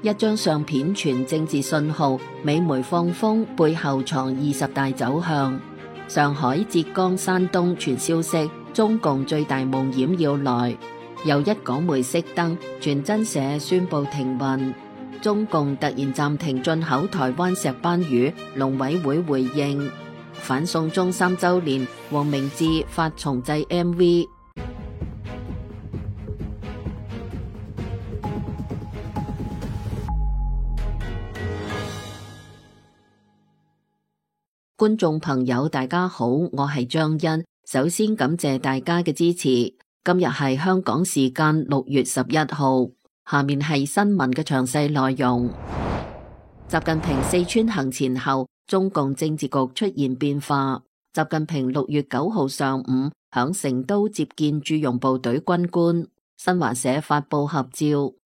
一張相片傳政治信號，美媒放風背後藏20大走向。上海、浙江、山東傳消息，中共最大夢魘要來。又一港媒熄燈，傳真社宣布停運。中共突然暫停進口台灣石斑魚，農委會回應。反送中3週年，黃明志發重製 MV。觀眾朋友大家好，我係張欣，首先感謝大家嘅支持。今日係香港時間6月11號，下面係新聞嘅詳細內容。習近平四川行前後，中共政治局出現變化。習近平6月9號上午響成都接見駐容部隊軍官。新華社發佈合照，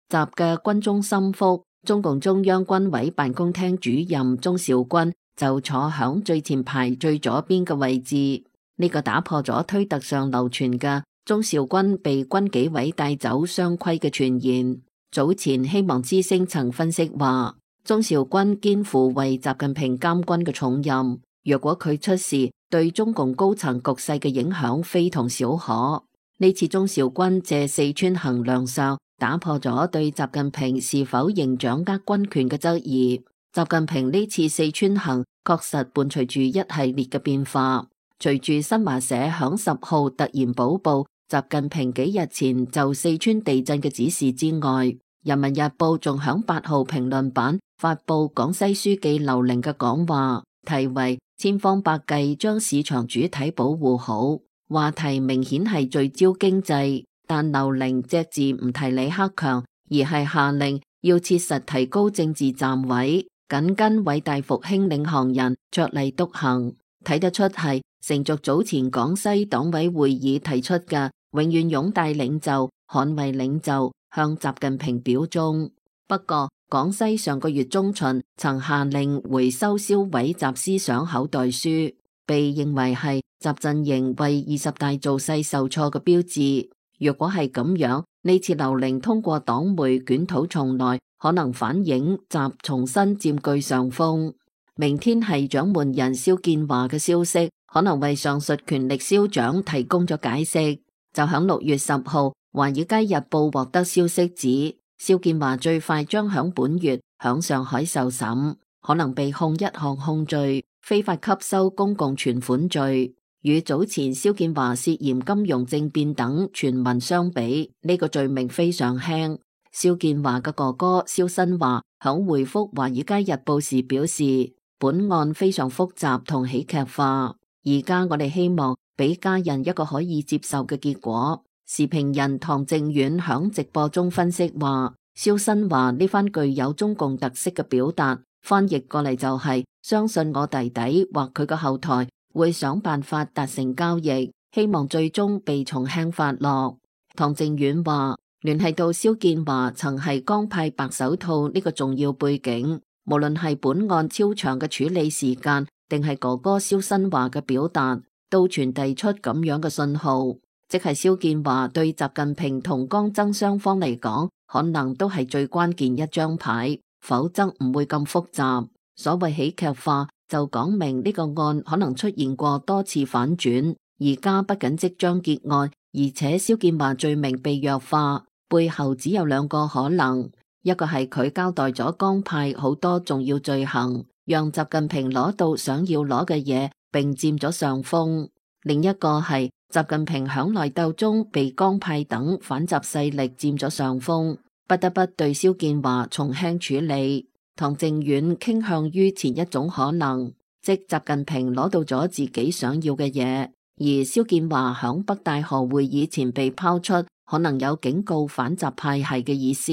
習嘅軍中心腹、中共中央軍委辦公廳主任鍾兆軍就坐響最前排最左邊嘅位置，呢個打破咗推特上流傳嘅鍾兆軍被軍紀委帶走雙規嘅傳言。早前希望之聲曾分析話，鍾兆軍肩負為習近平監軍嘅重任，若果佢出事，對中共高層局勢嘅影響非同小可。呢次鍾兆軍借四川行亮相，打破咗對習近平是否仍掌握軍權嘅質疑。習近平呢次四川行確實伴隨住一系列嘅變化。隨住新華社響10號突然補報習近平幾日前就四川地震嘅指示之外，人民日報仲響8號評論版發佈廣西書記劉寧嘅講話，題為千方百計將市場主體保護好。話題明顯係聚焦經濟，但劉寧隻字唔提李克強，而係下令要切實提高政治站位，緊跟偉大復興領航人着力督行。睇得出係承續早前廣西黨委會議提出嘅永遠擁戴領袖、捍衛領袖，向習近平表忠。不過廣西上個月中旬曾下令回收銷毀習思想口袋書，被認為係習陣營為20大造勢受挫嘅標誌。若果係咁樣，呢次劉寧通過黨媒捲土重來，可能反映習重新佔據上風。明天係掌門人肖建華嘅消息，可能為上述權力消長提供咗解釋。就響6月10號，華爾街日報獲得消息指，肖建華最快將響本月響上海受審，可能被控一項控罪，非法吸收公共存款罪。與早前肖建華涉嫌金融政變等傳聞相比，呢個罪名非常輕。肖建華嘅哥哥肖新華響回覆華爾街日報時表示，本案非常複雜同喜劇化，而家我哋希望俾家人一個可以接受嘅結果。時評人唐靖遠響直播中分析話，肖新華呢番具有中共特色嘅表達，翻譯過嚟就係相信我弟弟或佢嘅後台會想辦法達成交易，希望最終被從輕發落。唐靖遠話，聯繫到肖建華曾係江派白手套呢個重要背景，無論係本案超長嘅處理時間，定係哥哥肖新華嘅表達，都傳遞出咁樣嘅信號，即係肖建華對習近平同江曾雙方嚟講，可能都係最關鍵一張牌，否則唔會咁複雜。所謂喜劇化，就講明呢個案可能出現過多次反轉，而家不僅即將結案，而且肖建華罪名被弱化，背後只有兩個可能。一個係佢交代咗江派好多重要罪行，讓習近平攞到想要攞嘅嘢，並佔咗上風；另一個係習近平響內鬥中被江派等反習勢力佔咗上風，不得不對肖建華從輕處理。唐靖遠傾向於前一種可能，即習近平攞到咗自己想要嘅嘢，而肖建華響北戴河會議前被拋出，可能有警告反習派系嘅意思。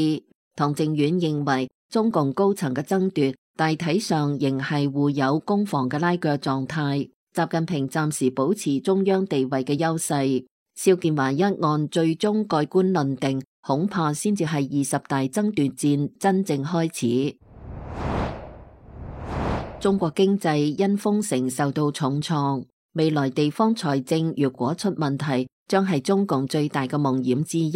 唐靖遠認為，中共高層嘅爭奪大體上仍係互有攻防嘅拉鋸狀態，習近平暫時保持中央地位嘅優勢。肖建華一案最終蓋棺論定，恐怕先至係20大爭奪戰真正開始。中國經濟因封城受到重創，未來地方財政若果出問題，將係中共最大嘅夢魘之一。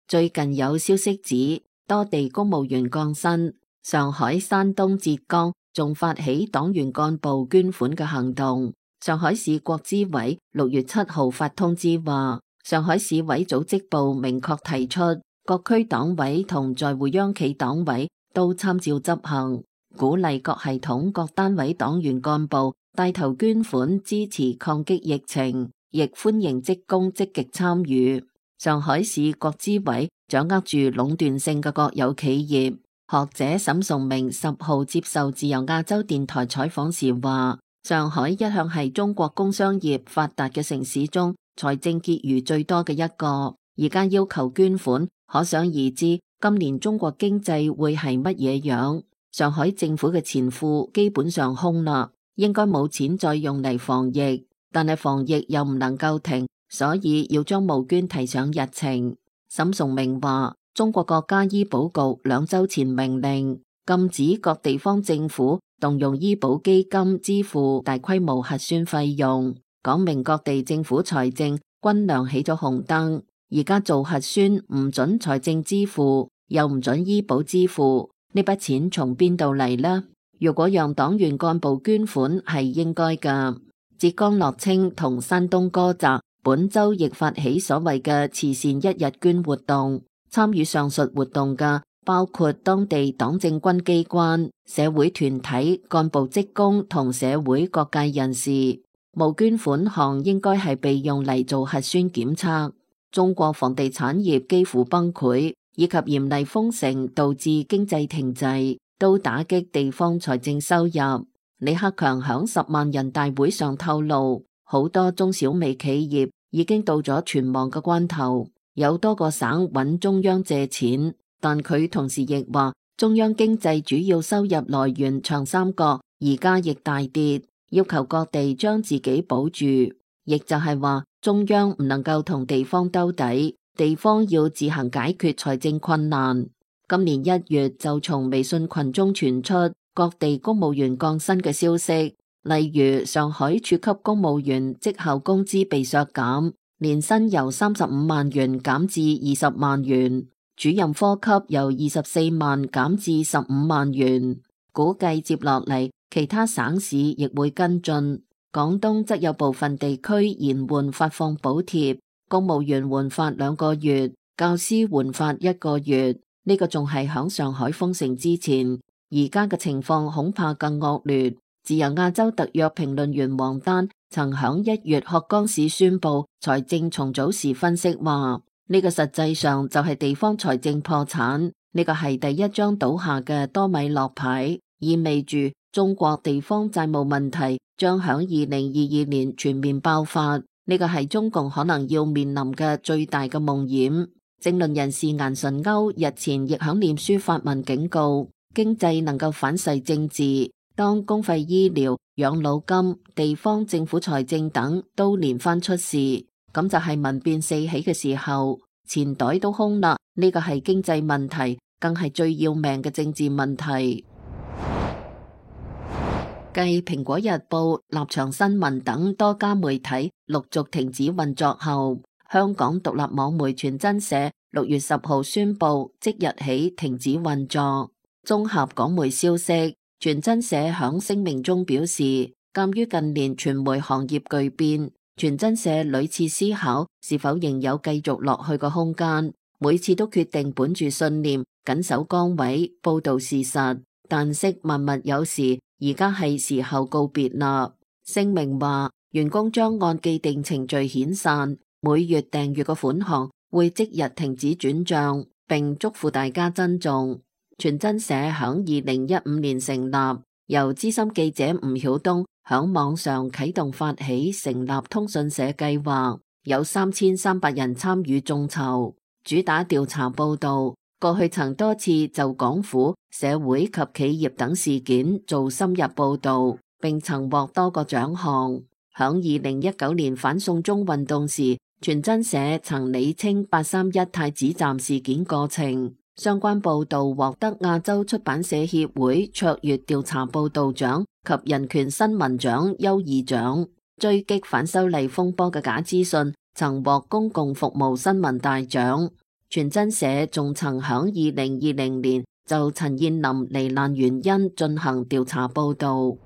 最近有消息指，多地公務員降薪。上海、山東、浙江仲發起黨員幹部捐款嘅行動。上海市國資委6月7號發通知話，上海市委組織部明確提出，各區黨委同在滬央企黨委都參照執行，鼓勵各系統各單位黨員幹部帶頭捐款支持抗擊疫情，亦歡迎職工積極參與。上海市國資委掌握住壟斷性嘅國有企業。學者沈崇明10號接受自由亞洲電台採訪時話，上海一向係中國工商業發達嘅城市中財政結餘最多嘅一個，而家要求捐款，可想而知今年中國經濟會係乜嘢樣。上海政府嘅錢庫基本上空啦，應該冇錢再用嚟防疫，但係防疫又唔能夠停，所以要將募捐提上日程。沈崇明話，中國國家醫保局2週前命令禁止各地方政府動用醫保基金支付大規模核酸費用，講明各地政府財政均亮起咗紅燈。而家做核酸唔准財政支付，又唔准醫保支付，呢筆錢從邊度嚟呢？如果讓黨員幹部捐款係應該㗎。浙江樂清同山東菏澤本週亦發起所謂嘅慈善1日捐活動。參與上述活動嘅包括當地黨政軍機關、社會團體、幹部職工同社會各界人士。募捐款項應該係被用嚟做核酸檢測。中國房地產業幾乎崩潰，以及嚴厲封城導致經濟停滯，都打擊地方財政收入。李克強響10萬人大會上透露，好多中小微企業已經到咗存亡嘅關頭。有多個省揾中央借錢，但佢同時亦話，中央經濟主要收入來源長三角而家亦大跌，要求各地將自己保住，亦就係話中央唔能夠同地方兜底，地方要自行解決財政困難。今年1月就從微信群中傳出各地公務員降薪嘅消息，例如上海處級公務員績效工資被削減，年薪由35萬元減至20萬元，主任科級由24萬減至15萬元。估計接落嚟其他省市亦會跟進。廣東則有部分地區延緩發放補貼，公務員緩發2個月，教師緩發1個月。呢個仲係響上海封城之前，而家嘅情況恐怕更惡劣。自由亞洲特約評論員王丹曾響1月鶴崗市宣布財政重組時分析話，呢個實際上就係地方財政破產，呢個係第一張倒下嘅多米諾牌，意味住中國地方債務問題將響2022年全面爆發，呢個係中共可能要面臨嘅最大嘅夢魘。政論人士顏純鈎日前亦響臉書發文警告，經濟能夠反噬政治。當公費醫療、養老金、地方政府財政等都連番出事，咁就係民變四起嘅時候，錢袋都空啦。呢個係經濟問題，更係最要命嘅政治問題。繼蘋果日報、立場新聞等多家媒體陸續停止運作後，香港獨立網媒傳真社6月10號宣布即日起停止運作。綜合港媒消息，傳真社響聲明中表示，鑒於近年傳媒行業巨變，傳真社屢次思考是否仍有繼續落去嘅空間，每次都決定本住信念，緊守崗位，報道事實，但惜萬物有時，而家係時候告別啦。聲明話，員工將按既定程序遣散，每月訂閱嘅款項會即日停止轉賬，並囑咐大家珍重。傳真社響2015年成立，由資深記者吳曉東響網上啟動發起成立通訊社計劃，有3300人參與眾籌，主打調查報道。過去曾多次就港府、社會及企業等事件做深入報道，並曾獲多個獎項。響2019年反送中運動時，傳真社曾理清831太子站事件過程。相關報道獲得亞洲出版社協會卓越調查報道獎及人權新聞獎優異獎。追擊反修例風波嘅假資訊曾獲公共服務新聞大獎。傳真社仲曾響2020年就陳彥霖罹難原因進行調查報道。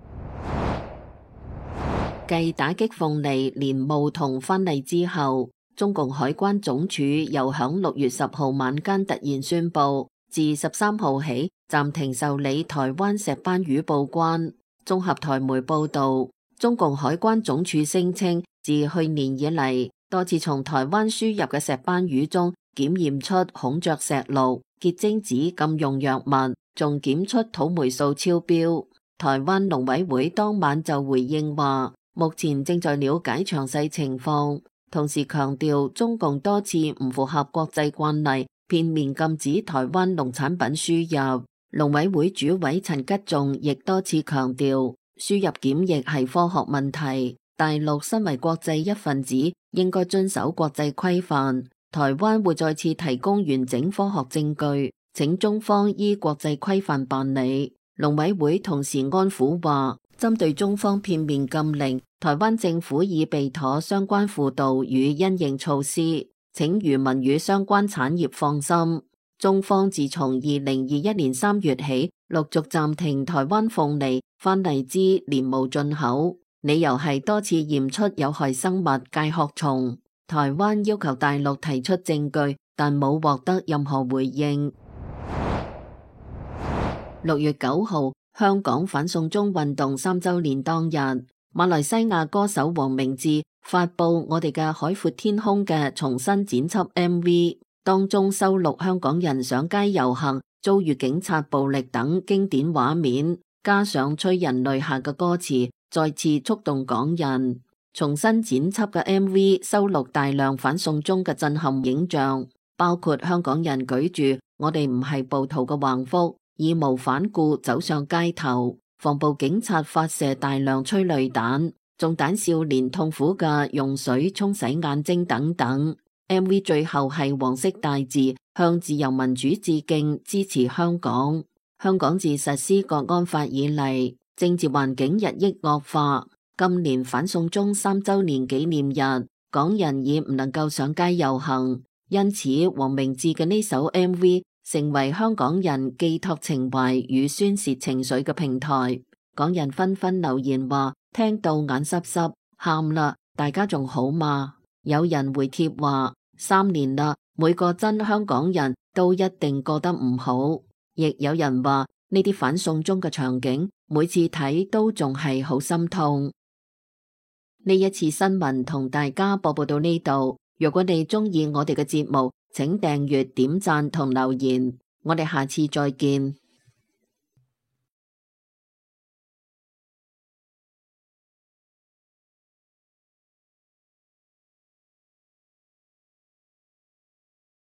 繼打擊鳳梨、蓮霧同番荔之後，中共海關總署又響6月10號晚間突然宣布，自13號起暫停受理台灣石斑魚報關。綜合台媒報道，中共海關總署聲稱，自去年以嚟，多次從台灣輸入嘅石斑魚中檢驗出孔雀石綠、結晶子禁用藥物，仲檢出土霉素超標。台灣農委會當晚就回應話，目前正在了解詳細情況，同時強調中共多次唔符合國際慣例，片面禁止台灣農產品輸入。農委會主委陳吉仲亦多次強調，輸入檢疫係科學問題，大陸身為國際一份子，應該遵守國際規範。台灣會再次提供完整科學證據，請中方依國際規範辦理。農委會同時安撫話，針對中方片面禁令，台灣政府已備妥相關輔導與因應措施，請漁民與相關產業放心。中方自從2021年3月起，陸續暫停台灣鳳梨、番荔枝、蓮霧進口，理由係多次驗出有害生物介殼蟲。台灣要求大陸提出證據，但冇獲得任何回應。6月9號，香港反送中運動3週年當日，馬來西亞歌手黃明志發布《我哋嘅海闊天空》嘅重新剪輯 MV， 當中收錄香港人上街遊行、遭遇警察暴力等經典畫面，加上催人淚下嘅歌詞，再次觸動港人。重新剪輯嘅 MV 收錄大量反送中嘅震撼影像，包括香港人舉住我哋唔係暴徒嘅橫幅，義無反顧走上街頭，防暴警察發射大量催淚彈，中彈少年痛苦嘅用水沖洗眼睛等等。MV 最後係黃色大字向自由民主致敬，支持香港。香港自實施國安法以嚟，政治環境日益惡化。今年反送中3週年紀念日，港人已唔能夠上街遊行，因此黃明志嘅呢首 MV 成為香港人寄託情懷與宣泄情緒嘅平台。港人紛紛留言話聽到眼濕濕，喊啦，大家仲好嗎？有人回帖話3年啦，每個真香港人都一定過得唔好。亦有人話呢啲反送中嘅場景，每次睇都仲係好心痛。呢一次新聞同大家播報到呢度，如果你鍾意我哋嘅節目，請訂閱、點讚同留言，我哋下次再見。